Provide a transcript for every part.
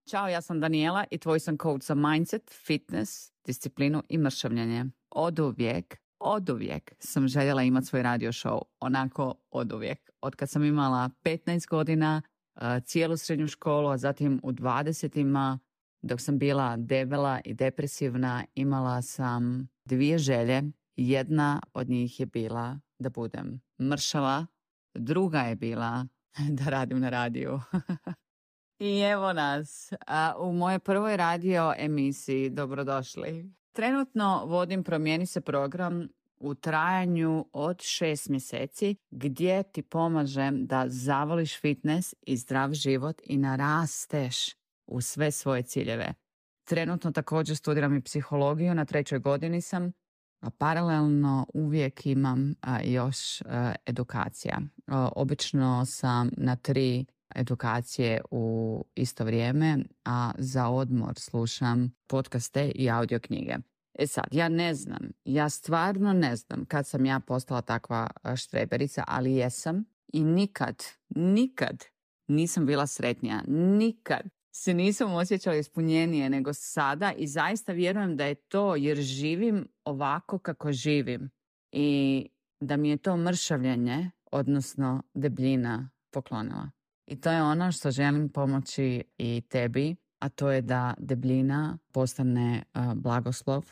Ćao, ja sam Daniela i tvoj sam coach za mindset, fitness, disciplinu i mršavljenje. Oduvijek sam željela imati svoj radio show, onako oduvijek. Od kad sam imala 15 godina, cijelu srednju školu, a zatim u 20-ima, dok sam bila debela i depresivna, imala sam 2 želje. Jedna od njih je bila da budem mršava, druga je bila da radim na radiju. I evo nas u mojoj prvoj radio emisiji. Dobrodošli. Trenutno vodim Promijeni se program u trajanju od 6 mjeseci gdje ti pomažem da zavoliš fitness i zdrav život i narasteš u sve svoje ciljeve. Trenutno također studiram i psihologiju, na 3. godini sam, a paralelno uvijek imam još edukacija. Obično sam na 3 edukacije u isto vrijeme, a za odmor slušam podcaste i audio knjige. Sad, ja stvarno ne znam kad sam ja postala takva štreberica, ali jesam i nikad nisam bila sretnija. Nikad se nisam osjećala ispunjenije nego sada i zaista vjerujem da je to jer živim ovako kako živim i da mi je to mršavljenje, odnosno debljina, poklonila. I to je ono što želim pomoći i tebi, a to je da debljina postane blagoslov,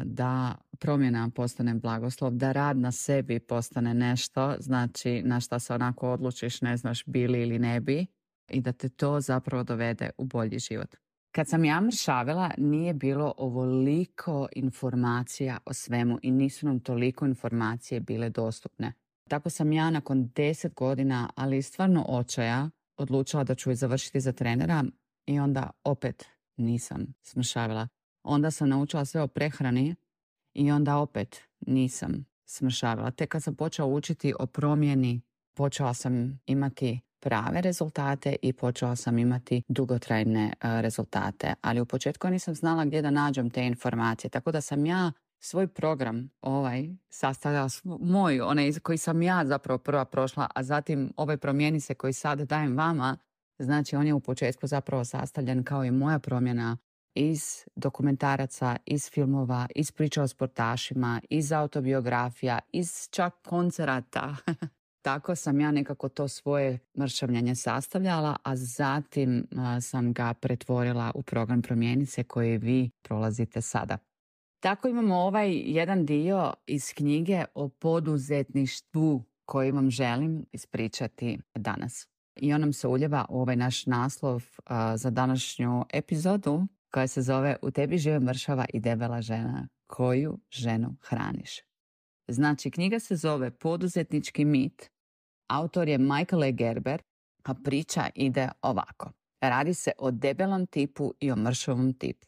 da promjena postane blagoslov, da rad na sebi postane nešto, znači na šta se onako odlučiš, ne znaš bili ili ne bi, i da te to zapravo dovede u bolji život. Kad sam ja mršavila, nije bilo ovoliko informacija o svemu i nisu nam toliko informacije bile dostupne. Tako sam ja nakon 10 godina, ali stvarno očaja, odlučila da ću završiti za trenera i onda opet nisam smršavila. Onda sam naučila sve o prehrani i onda opet nisam smršavila. Tek kad sam počela učiti o promjeni, počela sam imati prave rezultate i počela sam imati dugotrajne rezultate. Ali u početku nisam znala gdje da nađem te informacije, tako da sam ja svoj program sastavljala moj, onaj koji sam ja zapravo prva prošla, a zatim Promijeni se koji sad dajem vama, znači on je u početku zapravo sastavljen kao i moja promjena iz dokumentaraca, iz filmova, iz priča o sportašima, iz autobiografija, iz čak koncerata. Tako sam ja nekako to svoje mršavljanje sastavljala, a zatim sam ga pretvorila u program Promijeni se koji vi prolazite sada. Tako imamo jedan dio iz knjige o poduzetništvu koji vam želim ispričati danas. I on nam se uljeva u naš naslov za današnju epizodu koja se zove U tebi žive mršava i debela žena. Koju ženu hraniš? Znači, knjiga se zove Poduzetnički mit. Autor je Michael E. Gerber, a priča ide ovako. Radi se o debelom tipu i o mršavom tipu.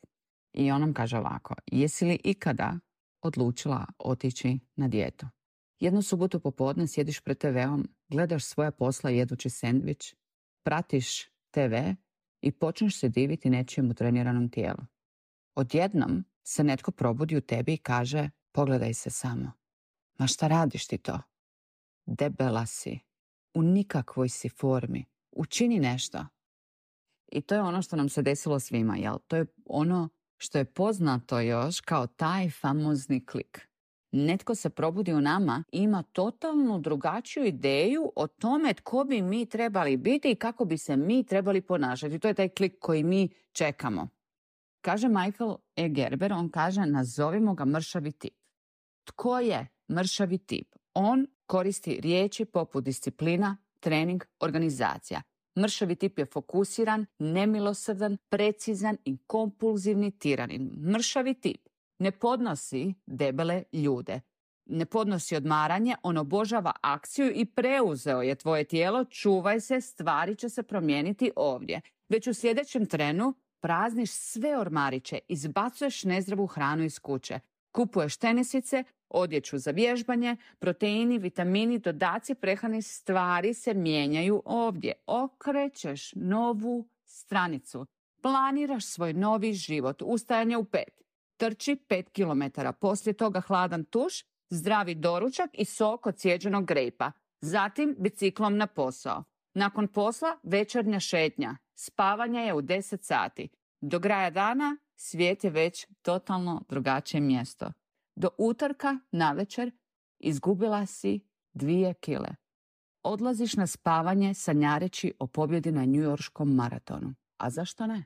I on nam kaže ovako, jesi li ikada odlučila otići na dijetu? Jednu subotu popodne sjediš pred TV-om, gledaš svoja posla jedući sendvič, pratiš TV i počneš se diviti nečijem utreniranom tijelu. Odjednom se netko probudi u tebi i kaže, pogledaj se samo. Ma šta radiš ti to? Debela si, u nikakvoj si formi, učini nešto. I to je ono što nam se desilo svima, jel? To je ono što je poznato još kao taj famozni klik. Netko se probudi u nama i ima totalno drugačiju ideju o tome tko bi mi trebali biti i kako bi se mi trebali ponašati. To je taj klik koji mi čekamo. Kaže Michael E. Gerber, on kaže nazovimo ga mršavi tip. Tko je mršavi tip? On koristi riječi poput disciplina, trening, organizacija. Mršavi tip je fokusiran, nemilosrdan, precizan i kompulzivni tiranin. Mršavi tip ne podnosi debele ljude. Ne podnosi odmaranje, on obožava akciju i preuzeo je tvoje tijelo, čuvaj se, stvari će se promijeniti ovdje. Već u sljedećem trenu prazniš sve ormariće, izbacuješ nezdravu hranu iz kuće. Kupuješ tenisice, odjeću za vježbanje, proteini, vitamini, dodaci prehrane, stvari se mijenjaju ovdje. Okrećeš novu stranicu. Planiraš svoj novi život. Ustajanje u 5. Trči 5 km. Poslije toga hladan tuš, zdravi doručak i sok od sjeđenog grejpa. Zatim biciklom na posao. Nakon posla večernja šetnja. Spavanje je u 10 sati. Do kraja dana svijet je već totalno drugačije mjesto. Do utorka navečer izgubila si 2 kile. Odlaziš na spavanje sanjareći o pobjedi na njujorškom maratonu. A zašto ne?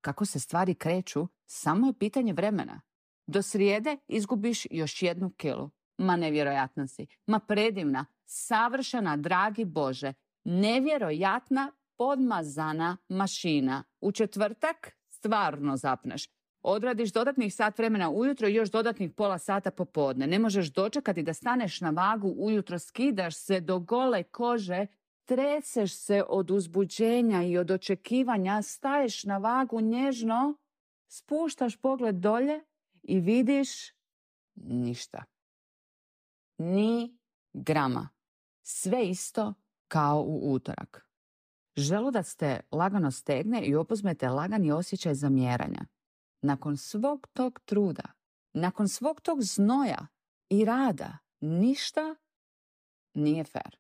Kako se stvari kreću, samo je pitanje vremena. Do srijede izgubiš još 1 kilu. Ma nevjerojatna si. Ma predivna, savršena, dragi Bože. Nevjerojatna, podmazana mašina. U četvrtak stvarno zapneš. Odradiš dodatnih sat vremena ujutro i još dodatnih pola sata popodne. Ne možeš dočekati da staneš na vagu ujutro, skidaš se do gole kože, treseš se od uzbuđenja i od očekivanja, staješ na vagu nježno, spuštaš pogled dolje i vidiš ništa. Ni grama. Sve isto kao u utorak. Želudac te lagano stegne i opuzmete lagani osjećaj zamjeranja. Nakon svog tog truda, nakon svog tog znoja i rada, ništa nije fair.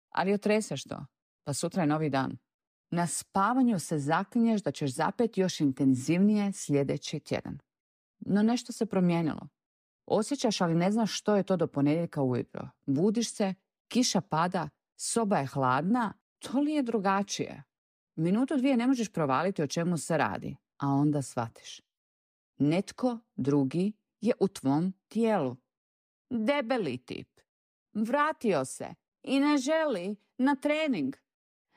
Ali otreseš to, pa sutra je novi dan. Na spavanju se zaklinješ da ćeš zapeti još intenzivnije sljedeći tjedan. No nešto se promijenilo. Osjećaš, ali ne znaš što je to do ponedjeljka ujutro. Budiš se, kiša pada, soba je hladna, to li je drugačije? Minutu 2 ne možeš provaliti o čemu se radi, a onda shvatiš. Netko drugi je u tvom tijelu. Debeli tip. Vratio se i ne želi na trening.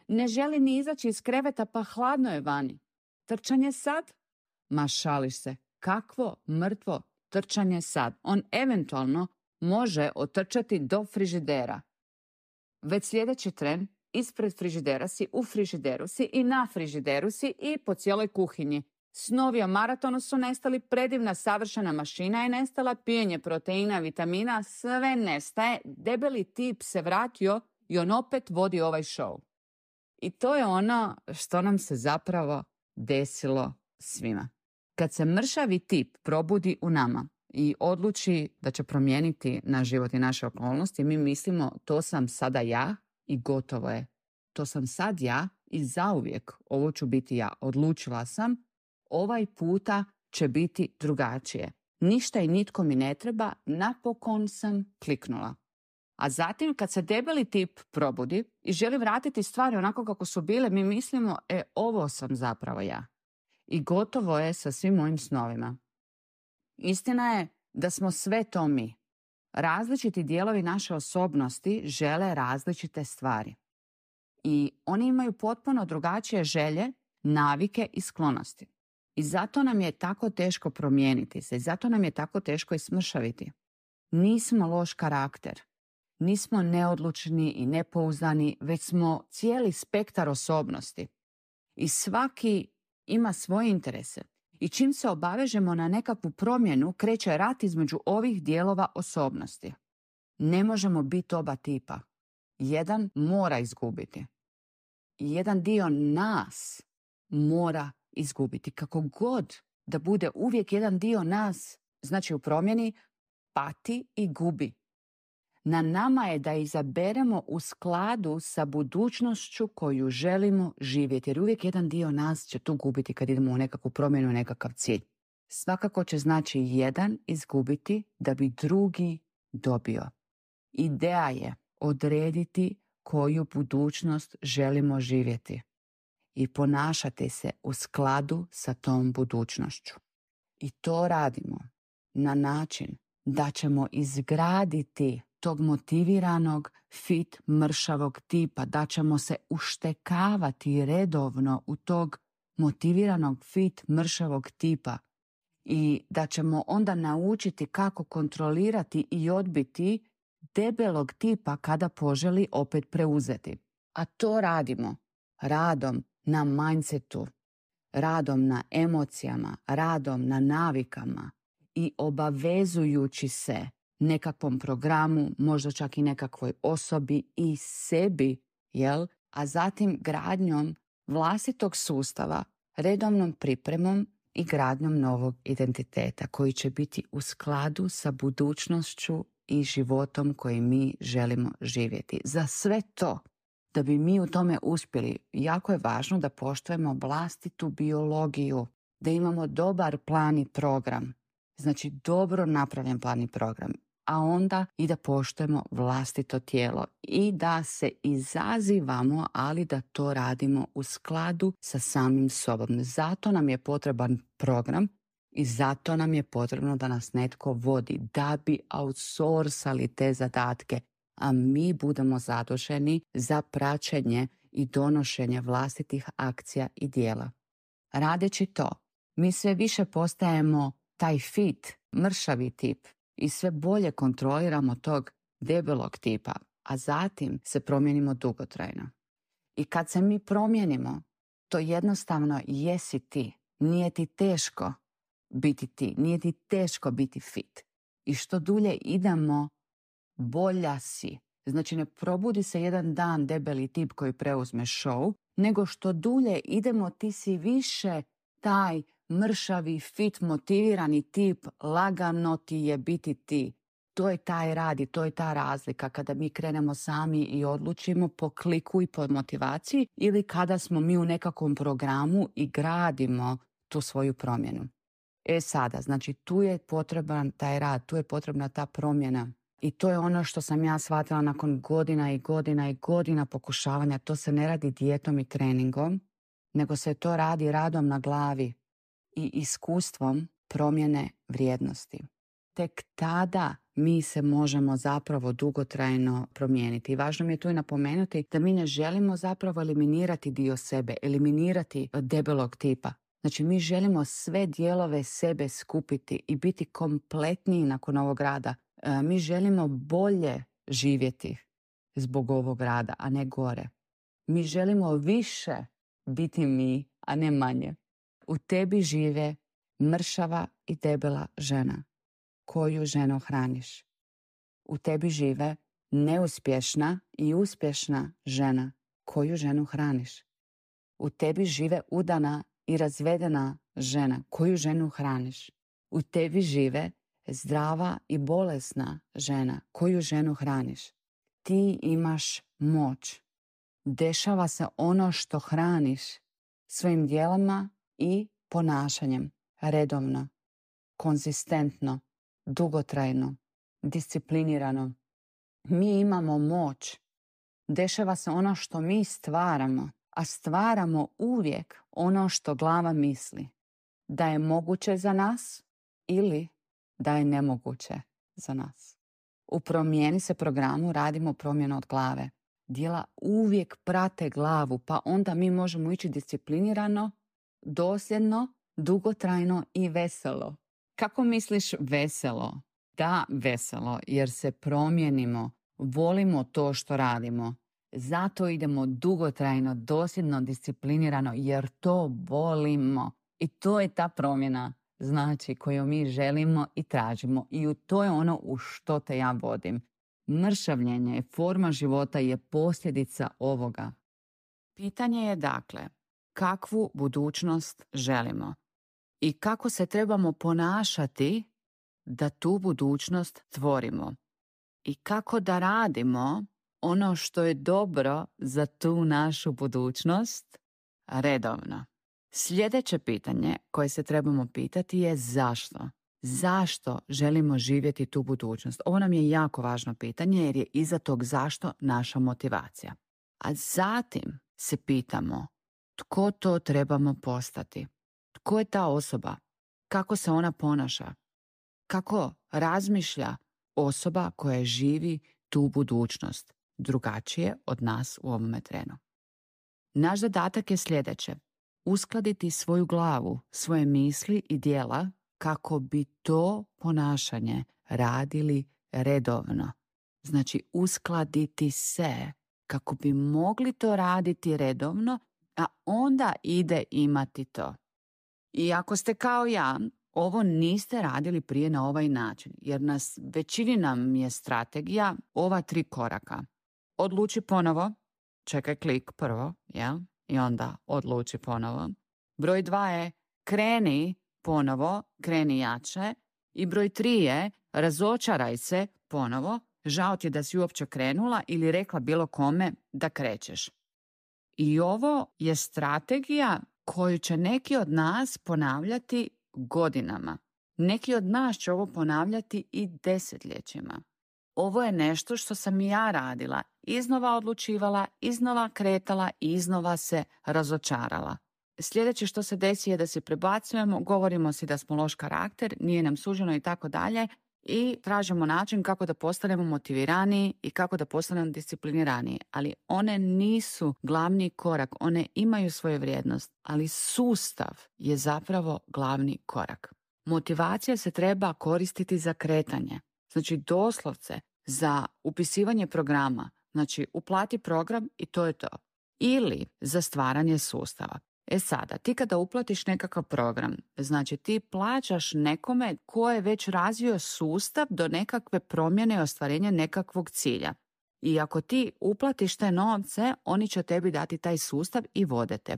Ne želi ni izaći iz kreveta, pa hladno je vani. Trčanje sad? Ma šališ se. Kakvo mrtvo trčanje sad? On eventualno može otrčati do frižidera. Već sljedeći tren ispred frižidera si, u frižideru si i na frižideru si i po cijeloj kuhinji. Snovi o maratonu su nestali, predivna savršena mašina je nestala, pijenje proteina, vitamina, sve nestaje. Debeli tip se vratio i on opet vodi ovaj show. I to je ono što nam se zapravo desilo svima. Kad se mršavi tip probudi u nama i odluči da će promijeniti naš život i naše okolnosti, mi mislimo to sam sada ja i gotovo je. To sam sad ja i zauvijek ovo ću biti ja. Odlučila sam, ovaj puta će biti drugačije. Ništa i nitko mi ne treba, napokon sam kliknula. A zatim kad se debeli tip probudi i želi vratiti stvari onako kako su bile, mi mislimo, ovo sam zapravo ja. I gotovo je sa svim mojim snovima. Istina je da smo sve to mi. Različiti dijelovi naše osobnosti žele različite stvari. I oni imaju potpuno drugačije želje, navike i sklonosti. I zato nam je tako teško promijeniti se. I zato nam je tako teško i smršaviti. Nismo loš karakter. Nismo neodlučni i nepouzdani, već smo cijeli spektar osobnosti. I svaki ima svoje interese. I čim se obavežemo na nekakvu promjenu, kreće rat između ovih dijelova osobnosti. Ne možemo biti oba tipa. Jedan mora izgubiti. I jedan dio nas mora izgubiti. Kako god da bude uvijek jedan dio nas, znači u promjeni, pati i gubi. Na nama je da izaberemo u skladu sa budućnošću koju želimo živjeti. Jer uvijek jedan dio nas će tu gubiti kad idemo u nekakvu promjenu, nekakav cilj. Svakako će znači jedan izgubiti da bi drugi dobio. Ideja je odrediti koju budućnost želimo živjeti i ponašati se u skladu sa tom budućnošću. I to radimo na način da ćemo izgraditi tog motiviranog, fit, mršavog tipa, da ćemo se uštekavati redovno u tog motiviranog, fit, mršavog tipa i da ćemo onda naučiti kako kontrolirati i odbiti debelog tipa kada poželi opet preuzeti. A to radimo radom na mindsetu, radom na emocijama, radom na navikama i obavezujući se nekakvom programu, možda čak i nekakvoj osobi i sebi, jel? A zatim gradnjom vlastitog sustava, redovnom pripremom i gradnjom novog identiteta koji će biti u skladu sa budućnošću i životom koji mi želimo živjeti. Za sve to Da bi mi u tome uspjeli, jako je važno da poštujemo vlastitu biologiju, da imamo dobar plan i program. Znači dobro napravljen plan i program. A onda i da poštujemo vlastito tijelo i da se izazivamo, ali da to radimo u skladu sa samim sobom. Zato nam je potreban program i zato nam je potrebno da nas netko vodi, da bi outsourcali te zadatke, a mi budemo zaduženi za praćenje i donošenje vlastitih akcija i djela. Radeći to, mi sve više postajemo taj fit, mršavi tip i sve bolje kontroliramo tog debelog tipa, a zatim se promijenimo dugotrajno. I kad se mi promijenimo, to jednostavno jesi ti. Nije ti teško biti ti, nije ti teško biti fit. I što dulje idemo, bolja si. Znači ne probudi se jedan dan debeli tip koji preuzme show, nego što dulje idemo ti si više taj mršavi, fit, motivirani tip, lagano ti je biti ti. To je taj rad i to je ta razlika kada mi krenemo sami i odlučimo po kliku i po motivaciji ili kada smo mi u nekakvom programu i gradimo tu svoju promjenu. Sada, znači tu je potreban taj rad, tu je potrebna ta promjena. I to je ono što sam ja shvatila nakon godina i godina i godina pokušavanja. To se ne radi dijetom i treningom, nego se to radi radom na glavi i iskustvom promjene vrijednosti. Tek tada mi se možemo zapravo dugotrajno promijeniti. I važno mi je tu i napomenuti da mi ne želimo zapravo eliminirati dio sebe, eliminirati debelog tipa. Znači mi želimo sve dijelove sebe skupiti i biti kompletniji nakon ovog rada. Mi želimo bolje živjeti zbog ovog rada, a ne gore. Mi želimo više biti mi, a ne manje. U tebi žive mršava i debela žena. Koju ženu hraniš? U tebi žive neuspješna i uspješna žena. Koju ženu hraniš? U tebi žive udana i razvedena žena. Koju ženu hraniš? U tebi žive zdrava i bolesna žena. Koju ženu hraniš? Ti imaš moć. Dešava se ono što hraniš svojim djelama i ponašanjem. Redovno, konzistentno, dugotrajno, disciplinirano. Mi imamo moć. Dešava se ono što mi stvaramo, a stvaramo uvijek ono što glava misli. Da je moguće za nas ili da je nemoguće za nas. U Promijeni se programu radimo promjenu od glave. Djela uvijek prate glavu, pa onda mi možemo ići disciplinirano, dosljedno, dugotrajno i veselo. Kako misliš veselo? Da, veselo, jer se promijenimo, volimo to što radimo. Zato idemo dugotrajno, dosljedno, disciplinirano, jer to volimo. I to je ta promjena, znači, koju mi želimo i tražimo. I to je ono u što te ja vodim. Mršavljenje, forma života je posljedica ovoga. Pitanje je dakle, kakvu budućnost želimo? I kako se trebamo ponašati da tu budućnost tvorimo? I kako da radimo ono što je dobro za tu našu budućnost redovno? Sljedeće pitanje koje se trebamo pitati je zašto? Zašto želimo živjeti tu budućnost? Ovo nam je jako važno pitanje jer je iza tog zašto naša motivacija. A zatim se pitamo tko to trebamo postati? Tko je ta osoba? Kako se ona ponaša? Kako razmišlja osoba koja živi tu budućnost drugačije od nas u ovome trenu? Naš zadatak je sljedeće. Uskladiti svoju glavu, svoje misli i djela kako bi to ponašanje radili redovno. Znači uskladiti se kako bi mogli to raditi redovno, a onda ide imati to. I ako ste kao ja, ovo niste radili prije na ovaj način, jer većini nam je strategija ova 3 koraka. Odluči ponovo, čekaj klik prvo, jel? I onda odluči ponovo. Broj 2 je kreni ponovo, kreni jače. I broj 3 je razočaraj se ponovo, žao ti je da si uopće krenula ili rekla bilo kome da krećeš. I ovo je strategija koju će neki od nas ponavljati godinama. Neki od nas će ovo ponavljati i desetljećima. Ovo je nešto što sam i ja radila, iznova odlučivala, iznova kretala i iznova se razočarala. Sljedeće što se desi je da se prebacujemo, govorimo si da smo loš karakter, nije nam suđeno i tako dalje i tražimo način kako da postanemo motiviraniji i kako da postanemo discipliniraniji. Ali one nisu glavni korak, one imaju svoju vrijednost, ali sustav je zapravo glavni korak. Motivacija se treba koristiti za kretanje. Znači doslovce za upisivanje programa. Znači uplati program i to je to. Ili za stvaranje sustava. Sada, ti kada uplatiš nekakav program, znači ti plaćaš nekome ko je već razvio sustav do nekakve promjene i ostvarenja nekakvog cilja. I ako ti uplatiš te novce, oni će tebi dati taj sustav i vode te.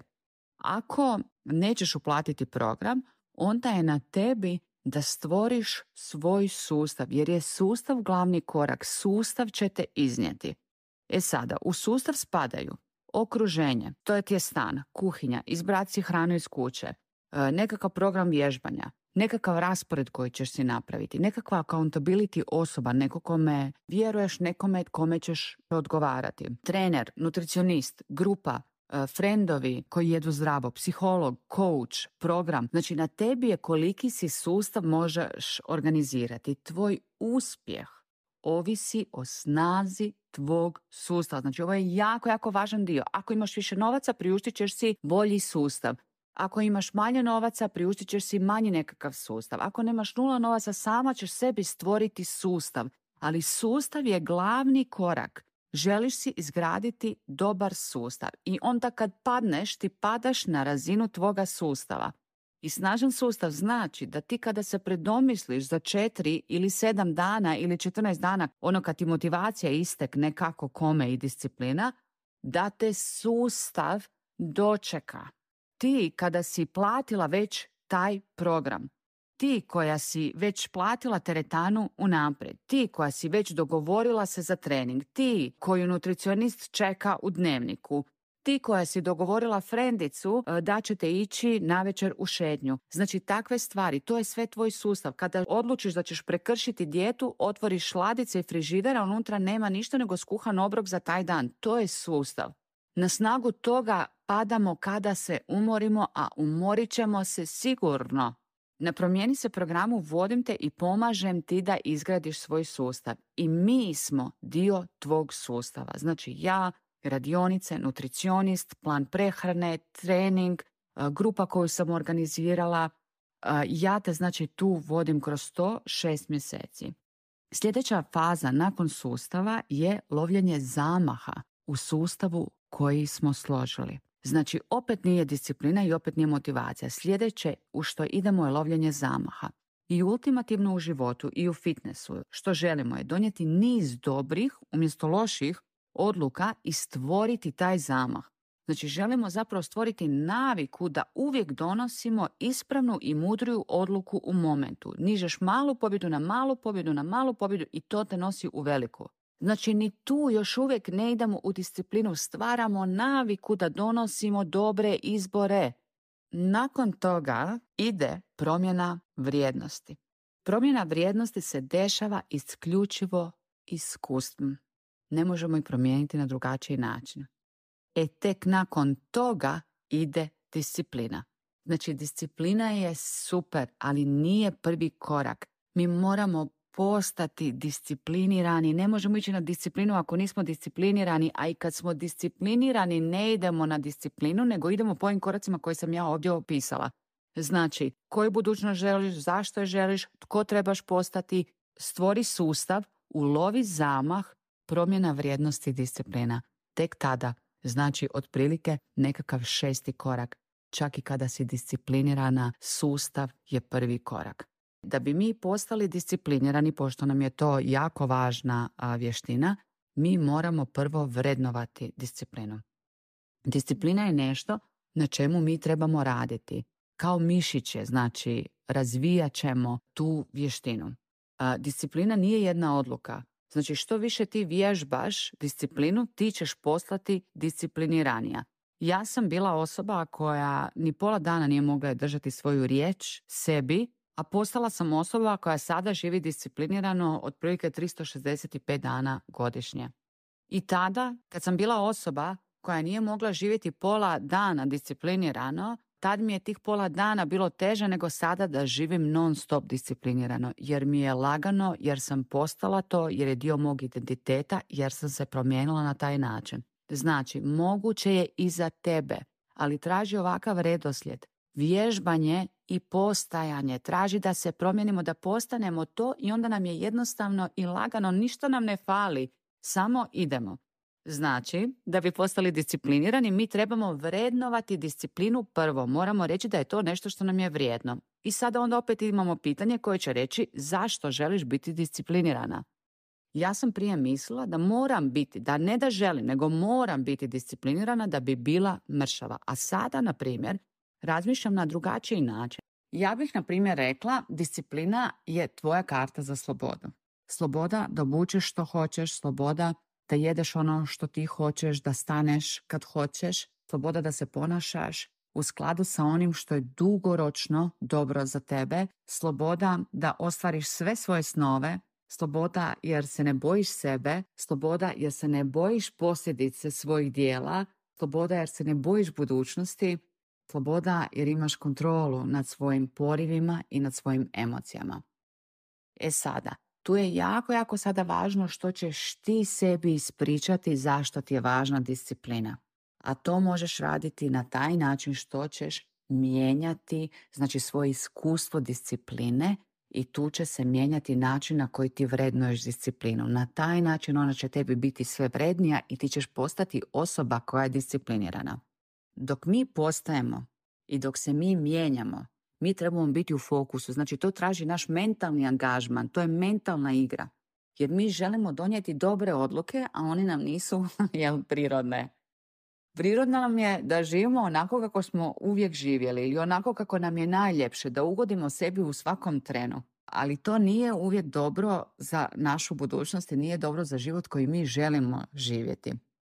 Ako nećeš uplatiti program, onda je na tebi da stvoriš svoj sustav, jer je sustav glavni korak, sustav će te iznijeti. Sada, u sustav spadaju okruženje, to je ti je stan, kuhinja, izbrati si hranu iz kuće, nekakav program vježbanja, nekakav raspored koji ćeš si napraviti, nekakva accountability osoba, neko kome vjeruješ, nekome kome ćeš odgovarati. Trener, nutricionist, grupa, friendovi koji jedu zdravo, psiholog, coach, program. Znači na tebi je koliki si sustav možeš organizirati. Tvoj uspjeh ovisi o snazi tvog sustava. Znači ovo je jako, jako važan dio. Ako imaš više novaca, priuštit ćeš si bolji sustav. Ako imaš manje novaca, priuštit ćeš si manji nekakav sustav. Ako nemaš 0 novaca, sama ćeš sebi stvoriti sustav. Ali sustav je glavni korak. Želiš si izgraditi dobar sustav. I onda kad padneš, ti padaš na razinu tvoga sustava. I snažan sustav znači da ti kada se predomisliš za 4 ili 7 dana ili 14 dana, ono kad ti motivacija istekne kako, kome i disciplina, da te sustav dočeka. Ti kada si platila već taj program, ti koja si već platila teretanu unaprijed, ti koja si već dogovorila se za trening, ti koju nutricionist čeka u dnevniku, ti koja si dogovorila frendicu da ćete ići navečer u šetnju. Znači takve stvari, to je sve tvoj sustav. Kada odlučiš da ćeš prekršiti dijetu, otvoriš ladice i frižidera, unutra nema ništa nego skuhan obrok za taj dan. To je sustav. Na snagu toga padamo kada se umorimo, a umorit ćemo se sigurno. Na Promijeni se programu vodim te i pomažem ti da izgradiš svoj sustav. I mi smo dio tvog sustava. Znači ja, radionice, nutricionist, plan prehrane, trening, grupa koju sam organizirala. Ja te znači tu vodim kroz to 6 mjeseci. Sljedeća faza nakon sustava je lovljenje zamaha u sustavu koji smo složili. Znači opet nije disciplina i opet nije motivacija. Sljedeće u što idemo je lovljenje zamaha. I ultimativno u životu i u fitnessu što želimo je donijeti niz dobrih umjesto loših odluka i stvoriti taj zamah. Znači želimo zapravo stvoriti naviku da uvijek donosimo ispravnu i mudriju odluku u momentu. Nižeš malu pobjedu na malu pobjedu na malu pobjedu i to te nosi u veliku. Znači ni tu još uvijek ne idemo u disciplinu, stvaramo naviku da donosimo dobre izbore. Nakon toga ide promjena vrijednosti. Promjena vrijednosti se dešava isključivo iskustvom. Ne možemo ih promijeniti na drugačiji način. Tek nakon toga ide disciplina. Znači disciplina je super, ali nije prvi korak. Mi moramo postati disciplinirani. Ne možemo ići na disciplinu ako nismo disciplinirani, a i kad smo disciplinirani ne idemo na disciplinu, nego idemo po ovim koracima koje sam ja ovdje opisala. Znači, koju budućnost želiš, zašto je želiš, tko trebaš postati, stvori sustav, ulovi zamah, promjena vrijednosti i disciplina. Tek tada, znači otprilike nekakav 6. korak. Čak i kada si disciplinirana, sustav je prvi korak. Da bi mi postali disciplinirani, pošto nam je to jako važna vještina, mi moramo prvo vrednovati disciplinu. Disciplina je nešto na čemu mi trebamo raditi. Kao mišiće, znači razvijat ćemo tu vještinu. Disciplina nije jedna odluka. Znači što više ti vježbaš disciplinu, ti ćeš postati discipliniranija. Ja sam bila osoba koja ni pola dana nije mogla držati svoju riječ sebi, a postala sam osoba koja sada živi disciplinirano otprilike 365 dana godišnje. I tada, kad sam bila osoba koja nije mogla živjeti pola dana disciplinirano, tad mi je tih pola dana bilo teže nego sada da živim non stop disciplinirano, jer mi je lagano, jer sam postala to, jer je dio mog identiteta, jer sam se promijenila na taj način. Znači, moguće je i za tebe, ali traži ovakav redoslijed. Vježbanje i postajanje. Traži da se promijenimo, da postanemo to i onda nam je jednostavno i lagano, ništa nam ne fali, samo idemo. Znači, da bi postali disciplinirani, mi trebamo vrednovati disciplinu prvo. Moramo reći da je to nešto što nam je vrijedno. I sada onda opet imamo pitanje koje će reći zašto želiš biti disciplinirana. Ja sam prije mislila da moram biti, da ne da želim, nego moram biti disciplinirana da bi bila mršava. A sada, na primjer, razmišljam na drugačiji način. Ja bih, na primjer, rekla disciplina je tvoja karta za slobodu. Sloboda da obučeš što hoćeš, sloboda da jedeš ono što ti hoćeš, da staneš kad hoćeš, sloboda da se ponašaš u skladu sa onim što je dugoročno dobro za tebe, sloboda da ostvariš sve svoje snove, sloboda jer se ne bojiš sebe, sloboda jer se ne bojiš posljedice svojih dijela, sloboda jer se ne bojiš budućnosti, sloboda jer imaš kontrolu nad svojim porivima i nad svojim emocijama. Sada, tu je jako sada važno što ćeš ti sebi ispričati zašto ti je važna disciplina. A to možeš raditi na taj način što ćeš mijenjati, znači svoje iskustvo discipline i tu će se mijenjati način na koji ti vrednuješ disciplinu. Na taj način ona će tebi biti sve vrednija i ti ćeš postati osoba koja je disciplinirana. Dok mi postajemo i dok se mi mijenjamo, mi trebamo biti u fokusu. Znači to traži naš mentalni angažman, to je mentalna igra. Jer mi želimo donijeti dobre odluke, a one nam nisu prirodne. Prirodno nam je da živimo onako kako smo uvijek živjeli ili onako kako nam je najljepše, da ugodimo sebi u svakom trenu. Ali to nije uvijek dobro za našu budućnost i nije dobro za život koji mi želimo živjeti.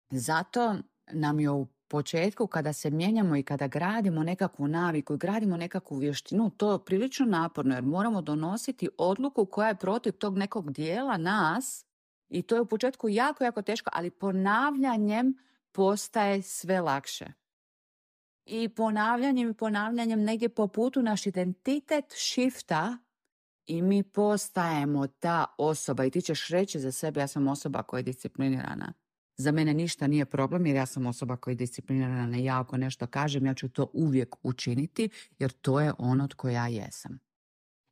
Zato nam je u početku kada se mijenjamo i kada gradimo nekakvu naviku i gradimo nekakvu vještinu, to je prilično naporno jer moramo donositi odluku koja je protiv tog nekog dijela nas i to je u početku jako teško, ali ponavljanjem postaje sve lakše. I ponavljanjem negdje po putu naš identitet shifta i mi postajemo ta osoba i ti ćeš reći za sebe ja sam osoba koja je disciplinirana. Za mene ništa nije problem jer ja sam osoba koja je disciplinirana i ja ako nešto kažem ja ću to uvijek učiniti jer to je ono tko ja jesam.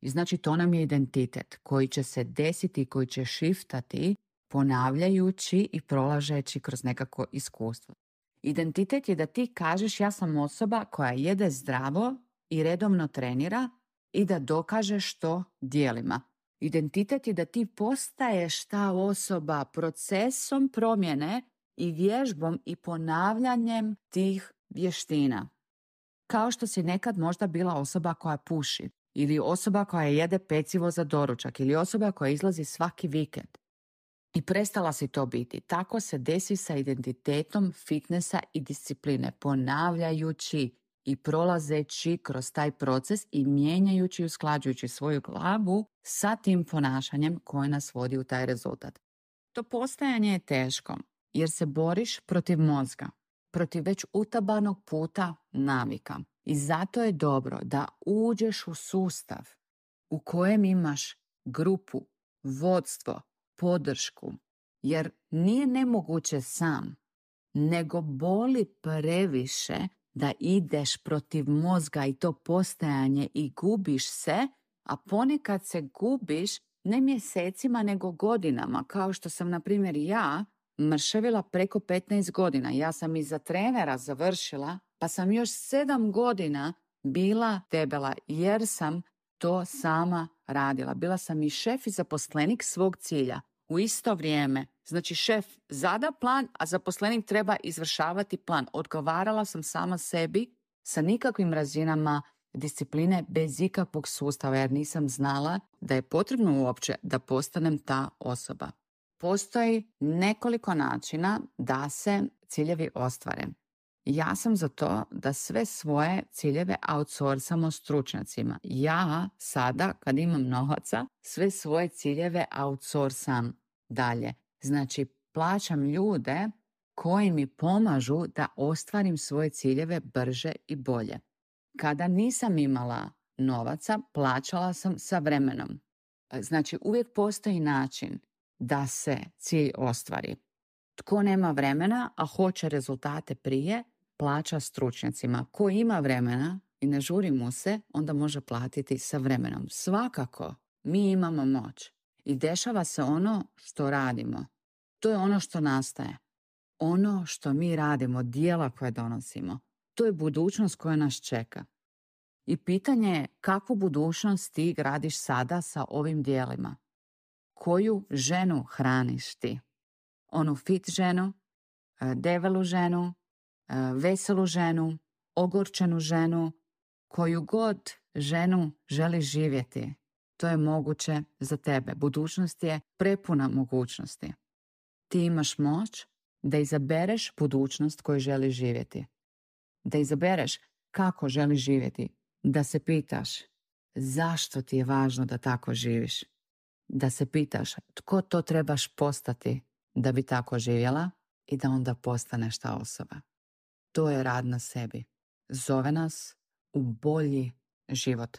I znači to nam je identitet koji će se desiti, koji će shiftati ponavljajući i prolažeći kroz nekako iskustvo. Identitet je da ti kažeš ja sam osoba koja jede zdravo i redovno trenira i da dokažeš to djelima. Identitet je da ti postaješ ta osoba procesom promjene i vježbom i ponavljanjem tih vještina. Kao što si nekad možda bila osoba koja puši ili osoba koja jede pecivo za doručak ili osoba koja izlazi svaki vikend. I prestala si to biti. Tako se desi sa identitetom fitnessa i discipline, ponavljajući i prolazeći kroz taj proces i mijenjajući i usklađujući svoju glavu sa tim ponašanjem koje nas vodi u taj rezultat. To postajanje je teško jer se boriš protiv mozga, protiv već utabanog puta navika. I zato je dobro da uđeš u sustav u kojem imaš grupu, vodstvo, podršku, jer nije nemoguće sam, nego boli previše da ideš protiv mozga i to postajanje i gubiš se, a ponekad se gubiš ne mjesecima nego godinama, kao što sam na primjer ja mršavila preko 15 godina. Ja sam iza trenera završila, pa sam još 7 godina bila debela jer sam to sama radila. Bila sam i šef i zaposlenik svog cilja u isto vrijeme. Znači šef zada plan, a zaposlenik treba izvršavati plan. Odgovarala sam sama sebi sa nikakvim razinama discipline bez ikakvog sustava jer nisam znala da je potrebno uopće da postanem ta osoba. Postoji nekoliko načina da se ciljevi ostvare. Ja sam za to da sve svoje ciljeve outsourcamo stručnjacima. Ja sada, kad imam novaca, sve svoje ciljeve outsourcam dalje. Znači, plaćam ljude koji mi pomažu da ostvarim svoje ciljeve brže i bolje. Kada nisam imala novaca, plaćala sam sa vremenom. Znači, uvijek postoji način da se cilj ostvari. Tko nema vremena, a hoće rezultate prije, plaća stručnjacima. Ko ima vremena i ne žuri mu se, onda može platiti sa vremenom. Svakako, mi imamo moć. I dešava se ono što radimo. To je ono što nastaje. Ono što mi radimo, djela koje donosimo, to je budućnost koja nas čeka. I pitanje je kakvu budućnost ti gradiš sada sa ovim djelima. Koju ženu hraniš ti? Onu fit ženu, debelu ženu, veselu ženu, ogorčenu ženu, koju god ženu želiš živjeti. To je moguće za tebe. Budućnost je prepuna mogućnosti. Ti imaš moć da izabereš budućnost koju želiš živjeti. Da izabereš kako želiš živjeti. Da se pitaš zašto ti je važno da tako živiš. Da se pitaš tko to trebaš postati da bi tako živjela i da onda postaneš ta osoba. To je rad na sebi. Zove nas u bolji život.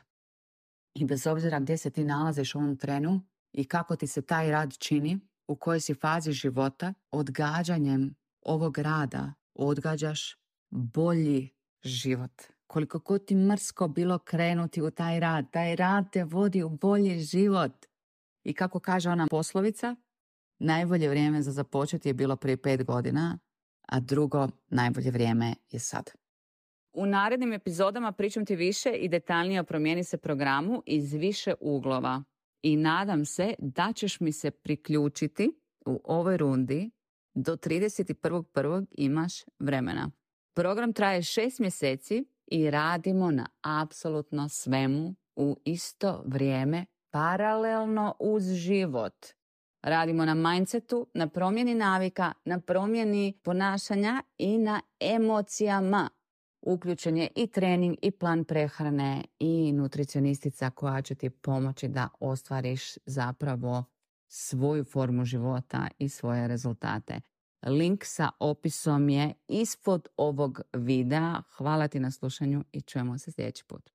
I bez obzira gdje se ti nalaziš u ovom trenu i kako ti se taj rad čini, u kojoj si fazi života, odgađanjem ovog rada odgađaš bolji život. Koliko god ti mrsko bilo krenuti u taj rad te vodi u bolji život. I kako kaže ona poslovica, najbolje vrijeme za započeti je bilo prije 5 godina, a drugo najbolje vrijeme je sad. U narednim epizodama pričam ti više i detaljnije o Promijeni se programu iz više uglova. I nadam se da ćeš mi se priključiti u ovoj rundi. Do 31.1. imaš vremena. Program traje 6 mjeseci i radimo na apsolutno svemu u isto vrijeme, paralelno uz život. Radimo na mindsetu, na promjeni navika, na promjeni ponašanja i na emocijama. Uključen je i trening i plan prehrane i nutricionistica koja će ti pomoći da ostvariš zapravo svoju formu života i svoje rezultate. Link sa opisom je ispod ovog videa. Hvala ti na slušanju i čujemo se sljedeći put.